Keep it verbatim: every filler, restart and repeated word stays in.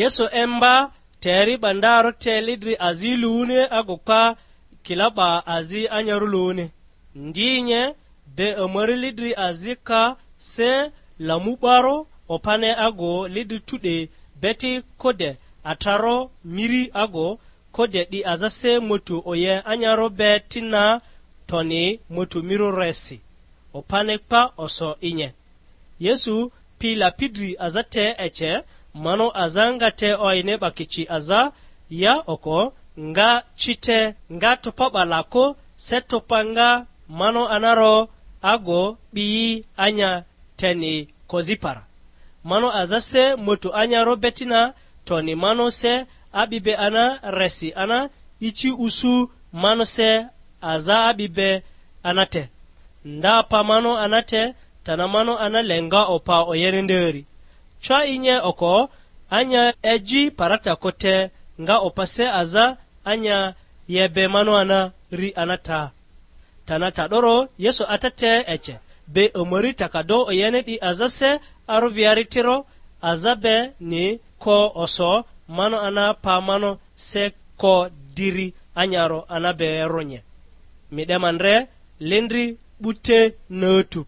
Yesu emba, te eri 'ba ndarᴜ te lidri azi luuni agu kpa kila 'ba azi anyarᴜ luuni. Ndi nye, be omori lidri azi ka se lamu 'barᴜ opane agu lidri tu'de beti kode atrarᴜ miri agu kode 'di aza se motu oye anyarᴜ be ti na toni motu mirᴜ resi. Opane kpa oso i nye. Yesu pi lapidri aza te ece, mano aza nga te oyini 'bakici aza ya oko, nga ci te, nga topa 'ba lako se topa nga mano anaro ago 'biyi anya teni kozipara. Mano aza se moto anyaro betina, toni mano se a'bi be ana resi ana ici usu mano se aza a'bi be ana te. Nda pa mano ana te, tana mano ana le nga opa oyere nderi. Cwa inye oko, anya eji parata kote nga opa se aza anya yebe mano ana ri ana ta. Tana ta 'doro Yesu ata te ece, be omori takado oyene 'di aza se arᴜviari tiro, aza be ni ko oso mano ana pa mano se ko diri anyaro ana be ronye. Mi 'de ma ndre lindri 'bute nötu